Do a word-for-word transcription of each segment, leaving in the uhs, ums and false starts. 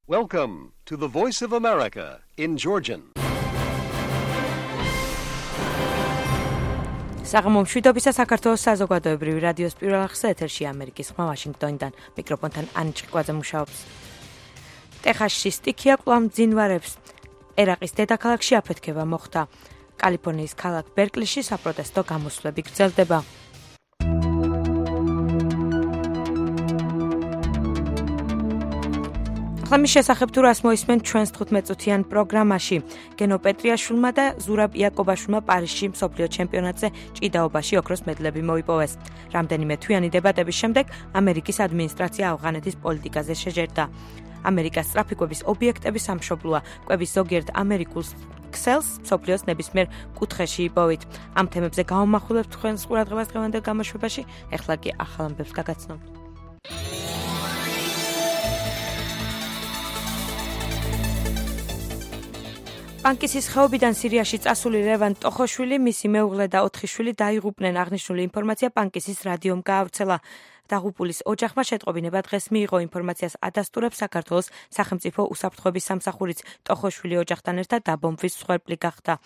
Welcome to the Voice of America in Georgian. საღამო მშვიდობისა საქართველოს საზოგადოებრივი რადიოს პირველ ახსნა ეთერში ამერიკის ხმა ვაშინგტონიდან მიკროფონთან ანი ჭიყვაძე მუშაობს. ტეხასში სტიქია კვლავ მძინვარებს. ერაყის დედაქალაქში აფეთქება მოხდა. კალიფორნიის ქალაქ ბერკლიში საპროტესტო გამოსვლები გრძელდება. ხმის შესახებ თუ რას მოისმენ ჩვენს თხუთმეტწუთიან პროგრამაში. გენო პეტრიაშვილმა და ზურაბ იაკობაშვილმა პარიზში მსოფლიო ჩემპიონატზე ჭიდაობაში ოქროს მედლები მოიპოვეს. რამდენიმე თვიანი დებატების შემდეგ ამერიკის ადმინისტრაცია ავღანეთის პოლიტიკაზე შეჯერდა. ამერიკას სწრაფი კვების ობიექტების სამშობლოა. კვების ზოგიერთ ამერიკულ ქსელს მსოფლიოს ნებისმიერ კუთხეში იპოვით. ამ თემებზე გავამახვილებთ თქვენს ყურადღებას დღევანდელ გამოშვებაში. ეხლა კი ახალ ამბებს გაგაცნობთ. პანკისის ხეობიდან სირიაში წასული ლევან ტოხოშვილი, მისი მეუღლე და ოთხი შვილი დაიღუპნენ. აღნიშნული ინფორმაცია პანკისის რადიომ გაავრცელა. დაღუპულის ოჯახმა შეტყობინება დღეს მიიღო. ინფორმაციას ადასტურებს საქართველოს სახელმწიფო უსაფრთხოების სამსახურიც. ტოხოშვილი ოჯახთან ერთად დაბომბვის მსხვერპლი გახდა.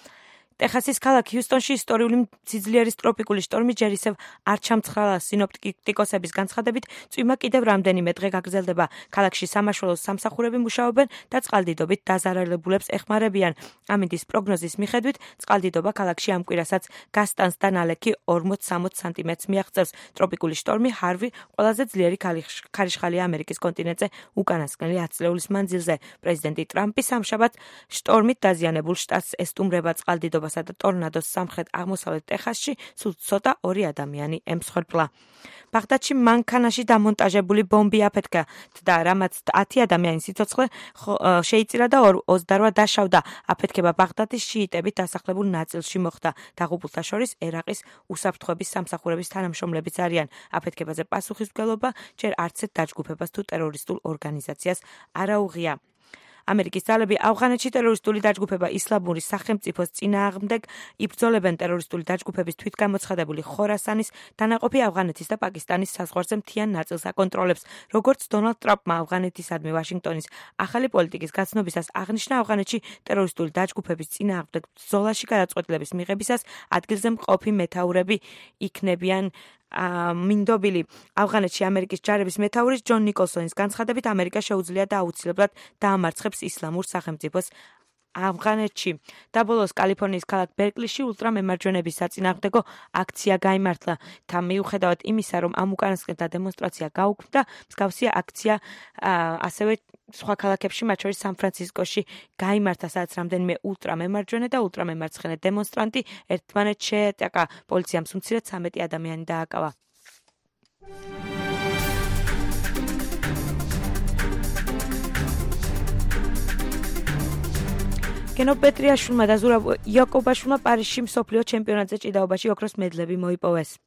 ტეხასის ქალაქ ჰიუსტონში ისტორიული სიძლიერის ტროპიკული შტორმი ჯერ ისევ არ ჩამცხრალა. სინოპტიკოსების განცხადებით, წვიმა კიდევ რამდენიმე დღე გაგრძელდება. ქალაქში სამაშველოს სამსახურები მუშაობენ და წყალდიდობით დაზარალებულებს ეხმარებიან. ამინდის პროგნოზის მიხედვით, წყალდიდობა ქალაქში ამ კვირასაც გასტანს და ნალექი ორმოც სამოც სანტიმეტრს მიაღწევს. ტროპიკული შტორმი ჰარვი ყველაზე ძლიერი ქარიშხალია ამერიკის კონტინენტზე უკანასკნელი ათი წლეულის მანძილზე. პრეზიდენტი ტრამპი სამშაბათ შტორმით დაზიანებულ შტატს ესტუმრება. წყალდიდობა და ტორნადოს სამხრეთ აღმოსავლეთ ტეხასში სულ ცოტა ორი ადამიანი ემსხვერპლა. ბაღდადში მანქანაში დამონტაჟებული ბომბი აფეთქა და რამაც ათი ადამიანის სიცოცხლე შეიწირა და ოცდაორი დაშავდა. აფეთქება ბაღდადის შიიტებით დასახლებულ ნაწილში მოხდა. დაღუპულთა შორის ერაყის უსაფრთხოების სამსახურების თანამშრომლებიც არიან. აფეთქებაზე პასუხისმგებლობა ჯერ არცერთ დაჯგუფებას თუ ტერორისტულ ორგანიზაციას არ აუღია. ამერიკის ძალები ავღანეთში ტერორისტული დაჯგუფება ისლამური სახელმწიფოს წინააღმდეგ იბრძოლებენ. ტერორისტული დაჯგუფების თვითგამოცხადებული ხორასანის დანაყოფი ავღანეთის და პაკისტანის საზღვარზე მთიან ნაწილს აკონტროლებს. როგორც დონალდ ტრამპმა ავღანეთისადმი ვაშინგტონის ახალი პოლიტიკის გაცნობისას აღნიშნა, ავღანეთში ტერორისტული დაჯგუფების წინააღმდეგ ბრძოლაში გადაწყვეტილების მიღებისას ადგილზე მყოფი მეთაურები იქნებიან მინდობილი. ავღანეთში ამერიკის ჯარების მეთაურის ჯონ ნიკოლსონის განცხადებით, ამერიკა შეუძლია და აუცილებლად დაამარცხებს ისლამურ სახელმწიფოს ავღანეთში. და ბოლოს კალიფორნიის ქალაქ ბერკლიში ულტრამემარჯვენების საწინააღმდეგო აქცია გაიმართლა. თან მიუხედავად იმისა, რომ ამ უკანასკნელთა დემონსტრაცია გაუქმდა, მსგავსი აქცია ასევე სხვა ქალაქებში, მათ შორის სან-ფრანცისკოში გაიმართა, სადაც რამდენიმე ულტრამემარჯვენე და ულტრამემარცხენე დემონსტრანტი ერთმანეთს შეეტაკა. პოლიციამ უმცირედ ცამეტი ადამიანი დააკავა. გენო პეტრიაშვილმა და ზურაბ იაკობაშვილმა პარიზში მსოფლიო ჩემპიონატზე ჭიდაობაში ოქროს მედლები მოიპოვეს.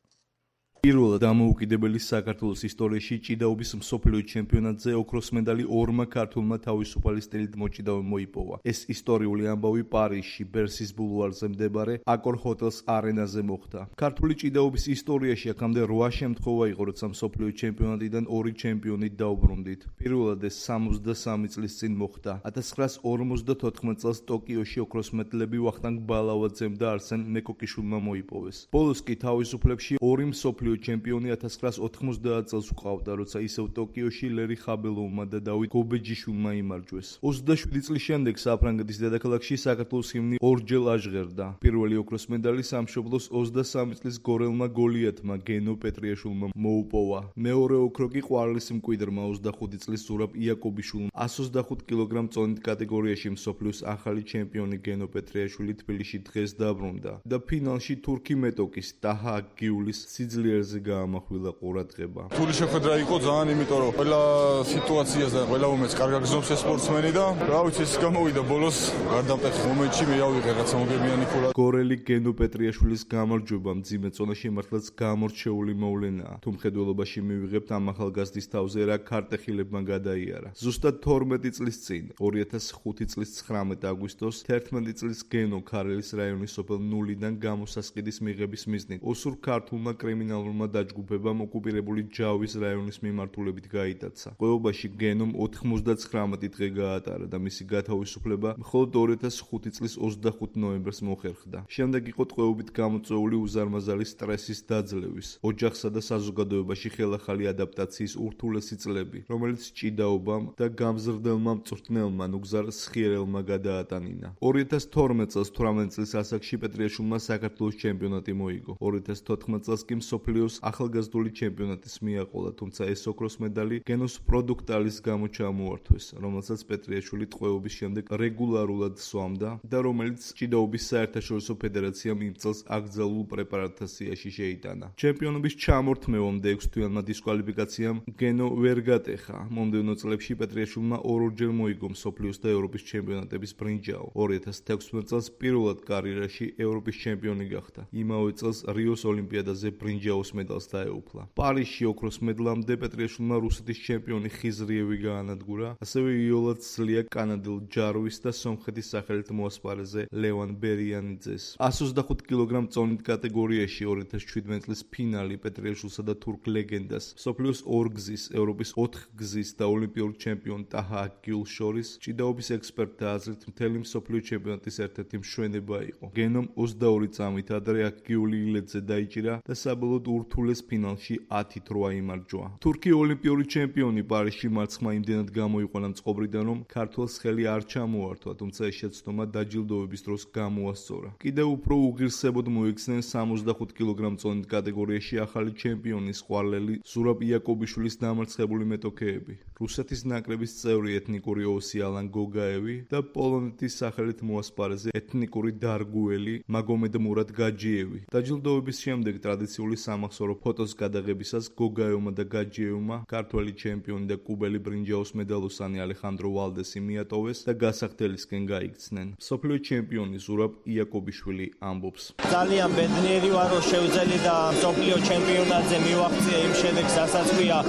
პირველად დამოუკიდებელი საქართველოს ისტორიაში ჭიდაობის მსოფლიო ჩემპიონატზე ოქროს მედალი ორმა ქართველმა თავისუფალი სტილით მოჭიდავე მოიპოვა. ეს ისტორიული ამბავი პარიზში, ბერსის ბულვარზე მდებარე აკორ ჰოტელს არენაზე მოხდა. ქართული ჭიდაობის ისტორიაში აქამდე რვა შემთხვევა იყო, როცა მსოფლიო ჩემპიონატიდან ორი ჩემპიონით დაუბრუნდით. პირველად ეს სამოცდასამი წლის წინ მოხდა. ათას ცხრაას ორმოცდათოთხმეტ წელს ტოკიოში ოქროს მედლები ვახტანგ ბალავაძემ და არსენ მეკოკიშვილმა მოიპოვეს. ბოლოს კი თავისუფლებში ორი მსოფლიო ჩემპიონი ათას ცხრაას ოთხმოცდაათ წელს უყავდა, როცა ისევ ტოკიოში ლერი ხაბელოვმა და დავით გობეჯიშვილმა იმარჯვეს. ოცდაშვიდი წლის შემდეგ საფრანგეთის დედაქალაქში საქართველოს ჰიმნი ორჯერ აჟღერდა. პირველი ოქროს მედალი სამშობლოს ოცდასამი წლის გორელმა გოლიათმა გენო პეტრიაშვილმა მოუპოვა. მეორე ოქრო კი ყვარლის მკვიდრმა ოცდახუთი წლის ზურაბ იაკობიშვილმა εκατს ოცდახუთ კილოგრამ წონით კატეგორიაში მსოფლიოს ახალი ჩემპიონი გენო პეტრიაშვილი თბილისში დღეს დაბრუნდა და ფინალში თურქი მეტოკის დაჰა გიულის სიძლიერზე გაამახვილა ყურადღება. თული შეხვედრა იყო ძალიან, იმიტომ რომ ყველა სიტუაციას და ყველა მომენტს კარგად გზნობს ეს სპორტსმენი და რა ვიცი, ეს გამოვიდა ბოლოს გარდამტეხ მომენტში მე ავიღე რაღაცა მოგებიანი ქულა. გორელი გენო პეტრიაშვილის გამარჯვება მძიმე წონაში მართლაც გამორჩეული მოვლენაა. თუ მხედველობაში მივიღებთ ამ ახალგაზრდის თავზე რა ქარტეხილებმა გადაიარა. ზუსტად თორმეტი წლის წინ, ორი ათას ხუთი წლის ცხრამეტ აგვისტოს, თერთმეტი წლის გენო ქარელის რაიონის სოფელ ნულიდან გამოსასყიდის მიღების მიზნით ოსურ ქართულმა კრიმინალურ ეროვნულმა დაჯგუფებამ ოკუპირებული ჯავის რაიონის მიმართულებით გაიტაცა. ყოობაში გენომ ოთხმოცდაცხრამეტი დღე გაატარა და მისი გათავისუფლება მხოლოდ ორი ათას ხუთი წლის ოცდახუთი ნოემბერს მოხერხდა. შემდეგ იყო ტყვეობით გამოწვეული უზარმაზარი სტრესის დაძლევის, ოჯახსა და საზოგადოებაში ხელახალი ადაპტაციის ურთულესი წლები, რომელიც ჭიდაობამ და გამზრდელმა მწვრთნელმა ნუგზარ სხიერელმა გადაატანინა. ორი ათას თორმეტ წელს თვრამეტი წლის ასაკში პეტრიაშვილმა საქართველოს ჩემპიონატი მოიგო. ორი ათას თოთხმეტ წელს კი მსოფლიოს ახალგაზრდული ჩემპიონატის მიაყოლა, თუმცა ეს ოქროს медаლი გენოს პროდუქტალის გამო ჩამოართვეს, რომელსაც პეტრიაშვილი ტყვეობის შემდეგ რეგულარულად სვამდა და რომელიც ჭიდაობის საერთაშორისო ფედერაციამ იმ წელს აკრძალულ პრეპარატთა სიაში შეიტანა. ჩემპიონობის ჩამორთმევამდე ექვსთვიანმა დისკვალიფიკაციამ გენო ვერ გატეხა. მომდევნო წლებში პეტრიაშვილმა ორ-ორჯერ მოიგო მსოფლიოს და ევროპის ჩემპიონატების ბრინჯაო. ორი ათას თექვსმეტ წელს პირველად კარიერაში ევროპის ჩემპიონი გახდა. იმავე წელს რიოს ოლიმპიადაზე ბრინჯაოს медаლს დაეუფლა. პარიზში ოქროს медლამდე პეტრიაშვილმა რუსეთის ჩემპიონი ხიზრიევი გაანადგურა, ასევე იოლად სძლია კანადელ ჯარვის და სომხეთის სახელით მოასპარეზე ლევან ბერიანიძეს. εκατს ოცდახუთ კილოგრამ წონით კატეგორიაში ორი ათას შვიდმეტ წლის ფინალი პეტრიაშვილსა და თურქ ლეგენდას, მსოფლიოს ორგზის, ევროპის ოთხგზის და ოლიმპიურ ჩემპიონ ტაჰა აკიულ შორის ჭიდაობის ექსპერტთა აზრით მთელი მსოფლიო ჩემპიონატის ერთ-ერთი მშვენება იყო. გენომ ოცდაორი წამით ადრე აკიული ილედზე დაიჭირა და საბოლოოდ ურთულეს ფინალში ათით რვა იმარჯვა. თურქი ოლიმპიური ჩემპიონი პარიზში მარცხმა იმდენად გამოიყვანა წყობრიდან, რომ ქართველს ხელი არ ჩამოართვა, თუმცა ეს შეცდომა დაჯილდოების დროს გამოასწორა. კიდევ უფრო უღირსებოდ მოიქცნენ სამოცდახუთ კილოგრამ წონით კატეგორიაში ახალი ჩემპიონის ყვარლელი ზურაბ იაკობიშვილის დამარცხებული მეტოქეები, რუსეთის ნაკრების წევრი ეთნიკური ოსი ალან გოგაევი და პოლონეთის სახელით მოასპარეზე ეთნიკური დარგუელი მაგომედ მურად გაჯიევი. დაჯილდოების შემდეგ ტრადიციული სამახსოვრო ფოტოს გადაღებისას გოგაევმა და გაჯიევმა ქართველი ჩემპიონი და კუბელი ბრინჯაოს медаლოსანი ალეხანდრო ვალდესი მიატოვეს და გასახდელისკენ გაიქცნენ. მსოფლიო ჩემპიონი ზურაბ იაკობიშვილი ამბობს: ძალიან ბედნიერი ვარ, რომ შევძელი და მსოფლიო ჩემპიონატზე მივაღწია იმ შედეგს, რასაც ქვია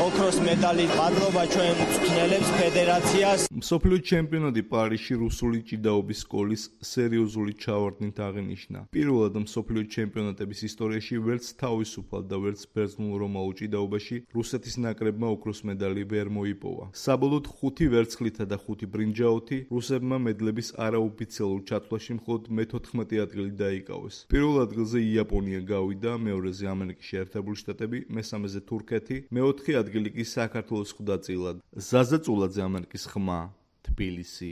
ოქროს медаლი. მადლობა ჩვენ მწვრთნელებს, ფედერაციას. მსოფლიო ჩემპიონატი პარიზში რუსული ჭიდაობის სკოლის სერიოზული ჩავარდნით აღინიშნა. პირველად მსოფლიო ჩემპიონატების ისტორიაში ვერც თავისუფალ და ვერც ბერძნულ-რომაულ ჭიდაობაში რუსეთის ნაკრებმა ოქროს медаლი ვერ მოიპოვა. საბოლოოდ ხუთი ვერცხლითა და ხუთი ბრინჯაოთი რუსებმა медლების არაოფიციალურ ჩათვლაში მხოლოდ მეთოთხმეტი ადგილი დაიკავეს. პირველ ადგილზე იაპონია გავიდა, მეორეზე ამერიკის შეერთებული შტატები, მესამეზე თურქეთი, მეოთხე ადგილი კი საქართველოს ხვდა წილად. ზაზა წულაძე, ამერიკის ხმა, თბილისი.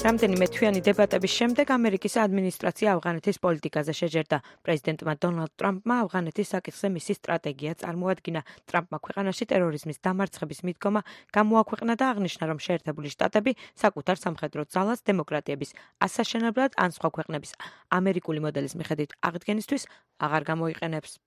რამდენიმე თვიანი დებატების შემდეგ ამერიკის ადმინისტრაცია ავღანეთის პოლიტიკაზე შეჯერდა. პრეზიდენტმა დონალდ ტრამპმა ავღანეთის საკითხზე მისი სტრატეგია წარმოადგინა. ტრამპმა ქვეყანაში ტერორიზმის დამარცხების მიდგომა გამოაქვეყნა და აღნიშნა, რომ შეერთებული შტატები საკუთარ სამხედრო ძალას დემოკრატიების ასაშენებლად ან სხვა ქვეყნების ამერიკული მოდელის მიხედვით აღდგენისთვის აღარ გამოიყენებს.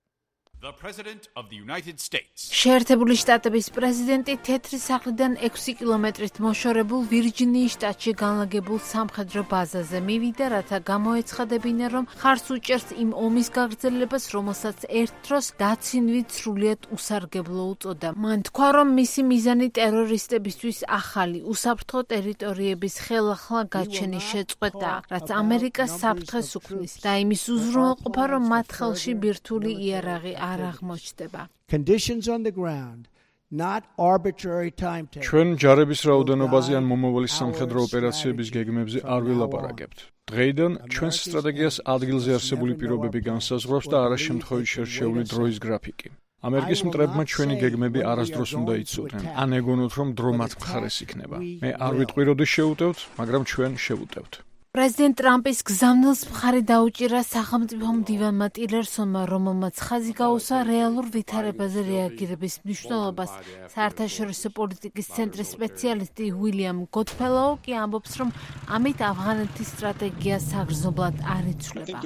The President of the United States. შეერთებული შტატების პრეზიდენტი თეთრი სახლიდან ექვსი კილომეტრით მოშორებულ ვირჯინიის შტატში განლაგებულ სამხედრო ბაზაზე მივიდა, რათა გამოეცხადებინა, რომ ხარს უჭერს იმ ომის გაგრძელებას, რომელსაც ერთ დროს დაცინვით სრულიად უსარგებლო უწოდა. მან თქვა, რომ მისი მიზანი ტერორისტებისთვის ახალი უსაფრთხო ტერიტორიების ხელახლა გაჩენის შეწყვეტაა, რაც ამერიკას საფრთხეს უქმნის და იმის უზრუნველყოფა, რომ მათ ხელში ბირთვული იარაღი არ აღმოჩნდება. Conditions on the ground, not arbitrary timetable. ჩვენ ჯარების რაოდენობაზე ან მომავალი სამხედრო ოპერაციების გეგმებზე არ ვილაპარაკებთ. დღეიდან ჩვენს სტრატეგიას ადგილზე არსებული პირობები განსაზღვრავს და არა შემთხვევით შერჩეული დროის გრაფიკი. ამერიკის მტრებმა ჩვენი გეგმები არასდროს უნდა იცოდნენ, ან ეგონოთ, რომ დრო მათ მხარეს იქნება. მე არ ვიტყვი, როდის შევუტევთ, მაგრამ ჩვენ შევუტევთ. პრეზიდენტ ტრამპის გზავნილს მხარი დაუჭირა სახელმწიფო მდივანმა ტილერსონმა, რომელმაც ხაზი გაუსვა რეალურ ვითარებაზე რეაგირების მნიშვნელობას. საერთაშორისო პოლიტიკის ცენტრის სპეციალისტი უილიამ გოდფელოუ კი ამბობს, რომ ამით ავღანეთის სტრატეგია საგრძნობლად არ იცვლება.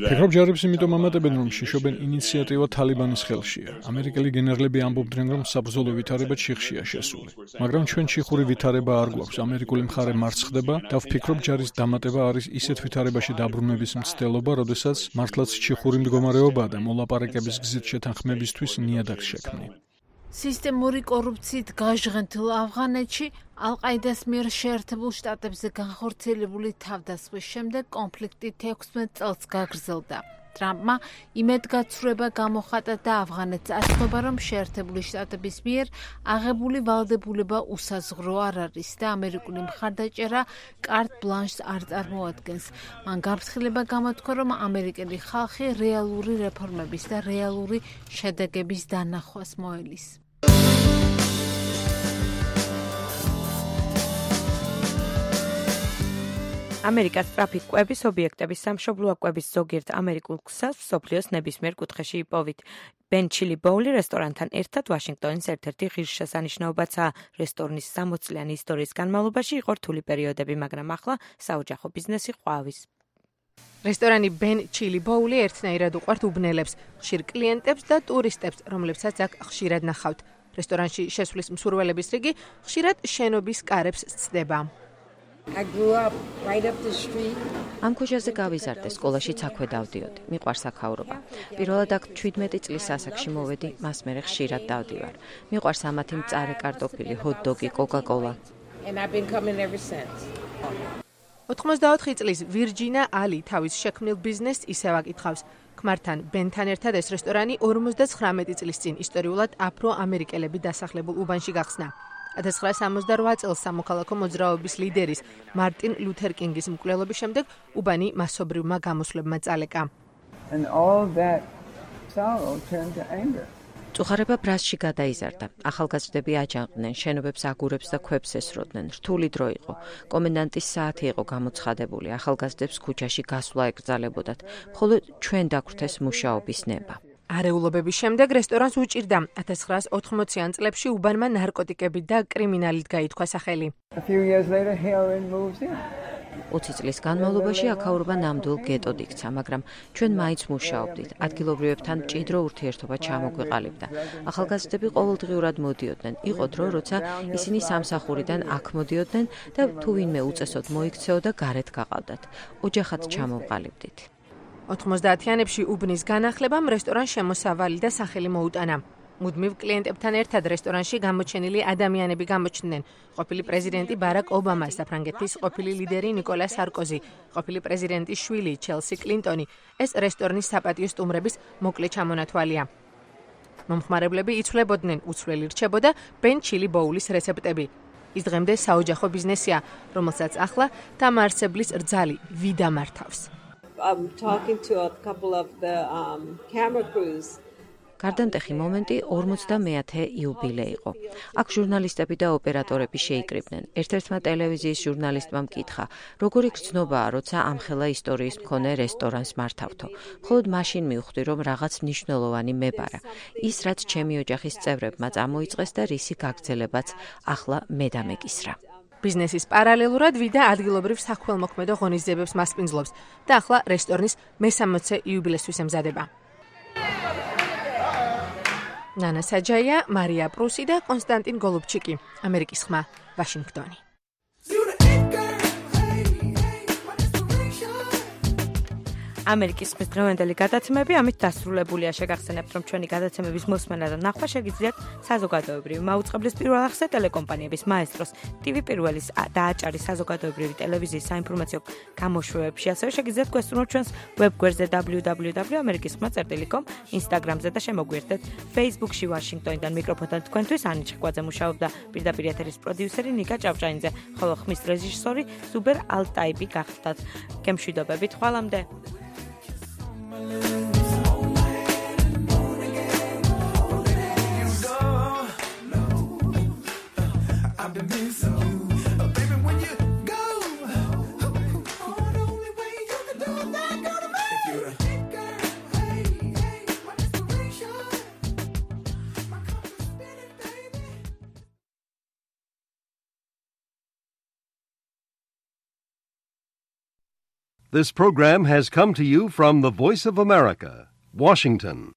ფიქრობ ჯარებს იმიტომ ამატებენ, რომ შიშობენ ინიციატივა თალიბანის ხელშია. ამერიკელი გენერლები ამბობდნენ, რომ საბრძოლო ვითარება ჩიხშია შესული. მაგრამ ჩვენ ჩიხური ვითარება არ გვაქვს. ამერიკული მხარე მარცხ ხდება და ვფიქრობ, ჯარის დამატება არის ისეთ ვითარებაში დაბრუნების მცდელობა, როდესაც მართლაც ჩიხური მდგომარეობაა და მოლაპარაკების გზით შეთანხმებისთვის ნიადაგს შექმნი. სისტემური კორუფციით გაჟღენთილ ავღანეთში ალ-ყაიდას მიერ შეერთებულ შტატებზე განხორციელებული თავდასხმის შემდეგ კონფლიქტი თექვსმეტ წელს გაგრძელდა. ტრამპმა იმედგაცრუება გამოხატა და ავღანეთს ასწვება, რომ შეერთებული შტატების მიერ აღებული ვალდებულება უსაზღვრო არ არის და ამერიკული მხარდაჭერა კარტ ბლანშს არ წარმოადგენს. მან გაფრთხილება გამოთქვა, რომ ამერიკელი ხალხი რეალური რეფორმების და რეალური შედეგების დანახვას მოელის. ამერიკას ტრაფიკ კვების ობიექტების სამშობლოა კვების ზოგიერთ ამერიკულ ქსელს მსოფლიოს ნებისმიერ კუთხეში იპოვით. Ben Chili Bowl რესტორანთან ერთად ვაშინგტონის ერთ-ერთი ღირსშესანიშნაობაცაა. რესტორნის სამოცლიანი ისტორიის განმავლობაში იყო რთული პერიოდები, მაგრამ ახლა საოჯახო ბიზნესი ყვავის. რესტორანი Ben Chili Bowl ერთნაირად უყვართ უბნელებს, ხშირ კლიენტებს და ტურისტებს, რომლებსაც აქ ხშირად ნახავთ. რესტორანში შესვლის მსურველების რიგი ხშირად შენობის კარებს სცდება. I grew up right up the street. ამ ქუჩაზე გავიზარდე, სკოლაშიც აქვე დავდიოდი. მიყვარს აქაურობა. პირველად აქ შვიდმეტი წლის ასაკში მოვედი, მას მერე ხშირად დავდივარ. მიყვარს ამათი მწარე კარტოფილი, ჰოთ-დოგი, კოკა-კოლა. And I've been coming ever since. ოცდაოთხი წლის ვირჯინა ალი თავის შექმნილ ბიზნესს ისევ აკითხავს. ქმართან ბენთან ერთად ეს რესტორანი ორმოცდაცხრამეტი წლის წინ ისტორიულად აფრო-ამერიკელები დასახლებულ უბანში გახსნა. ათას ცხრაასი სამოცდარვა წელს სამოქალაქო მოძრაობის ლიდერის მარტინ ლუთერ კინგის მკვლელობის შემდეგ უბანი მასობრივმა გამოსვლებმა წალეკა. And all that sorrow turned to anger. წუხარება ბრასში გადაიზარდა. ახალგაზრდები აჯანყდნენ, შენობებს აგურებს და ქვებს ესროდნენ. რთული დრო იყო. კომენდანტის საათი იყო გამოცხადებული. ახალგაზრდებს ქუჩაში გასვლა ეკრძალებოდათ. მხოლოდ ჩვენ დაგვრთეს მუშაობის ნება. არეულობების შემდეგ რესტორანს უჭირდა. ათას ცხრაასი ოთხმოციან წლებში უბანმა ნარკოტიკებით და კრიმინალით გაითქვა სახელი. A few years later heroin moves in. ოცი წლის განმავლობაში აქაურობა ნამდვილ გეტოდ იქცა, მაგრამ ჩვენ მაინც მუშაობდით. ადგილობრივებთან მჭიდრო ურთიერთობა ჩამოგვეყალიბდა. ახალგაზრდები ყოველდღიურად მოდიოდნენ. იყო დრო, როცა ისინი სამსახურიდან აქ მოდიოდნენ და თუ ვინმე უწესოდ მოიქცეოდა, გარეთ გაყავდათ. ოჯახად ჩამოვყალიბდით. ოთხმოცდაათიანებში უბნის განახლებამ რესტორანს შემოსავალი და სახელი მოუტანა. მუდმივ კლიენტებთან ერთად რესტორანში გამოჩენილი ადამიანები გამოჩნდნენ. ყოფილი პრეზიდენტი ბარაკ ობამა, საფრანგეთის ყოფილი ლიდერი ნიკოლა სარკოზი, ყოფილი პრეზიდენტის შვილი ჩელსი კლინტონი. ეს რესტორნის საპატიო სტუმრების მოკლე ჩამონათვალია. მომხმარებლები იცვლებოდნენ, უცვლელი რჩებოდა Ben Chili Bowl-ის რეცეპტები. ის დღემდე საოჯახო ბიზნესია, რომელსაც ახლა დამაარსებლის რძალი ვიდა მართავს. I'm talking to a couple of the um, camera crews. გარდამტეხი მომენტი ორმოცდამეათე იუბილე იყო. აქ ჟურნალისტები და ოპერატორები შეიკრიბნენ. ერთ-ერთმა ტელევიზიის ჟურნალისტმა მკითხა, როგორი გრძნობაა, როცა ამხელა ისტორიის მქონე რესტორანს მართავთო. მხოლოდ მაშინ მივხვდი, რომ რაღაც მნიშვნელოვანი მებარა. ის, რაც ჩემი ოჯახის წევრებმა წამოიწყეს და რისი გაგრძელებაც ახლა მე დამეკისრა. ბიზნესის პარალელურად ვიდა ადგილობრივ საქველმოქმედო ღონისძიებებს მასპინძლობს და ახლა რესტორნის მესამოცე იუბილესთვის ემზადება. ნანა საჯაია, მარია პრუსი და კონსტანტინ გოლუბჩიკი, ამერიკის ხმა, ვაშინგტონი. ამერიკის ხმის დღევანდელი გადაცემები ამით დასრულებულია. შეგახსენებთ, რომ ჩვენი გადაცემების მოსმენა და ნახვა შეგიძლიათ საზოგადოებრივი მაუწყებლის პირველ ახსნე ტელეკომპანიების მაესტროს, ტივი პირველის და აჭარის საზოგადოებრივი ტელევიზიის საინფორმაციო გამოშვებებში. ასევე შეგიძლიათ გვესწრუნოთ ჩვენს ვებგვერდზე დაბლიუ დაბლიუ დაბლიუ ელს ამერიკის ხმა წერტილი კომ, ინსტაგრამზე და შემოგვიერთდეთ Facebook-ში ვაშინგტონიდან მიკროფონთან თქვენთვის ანი ჩიხვაძე მუშაობდა, პირდაპირ ეთერის პროდიუსერი ნიკა ჭავჭაინძე, ხოლო ხმის რეჟისორი ზუბერ ალტაიბი გახდათ. გემშვიდობებით, ხვალამდე. I've been missing you, oh, baby, when you go. Oh, the only way you can do that, go to me. If you're a girl, hey, hey, my inspiration, my compass spinning, baby. This program has come to you from the Voice of America, Washington.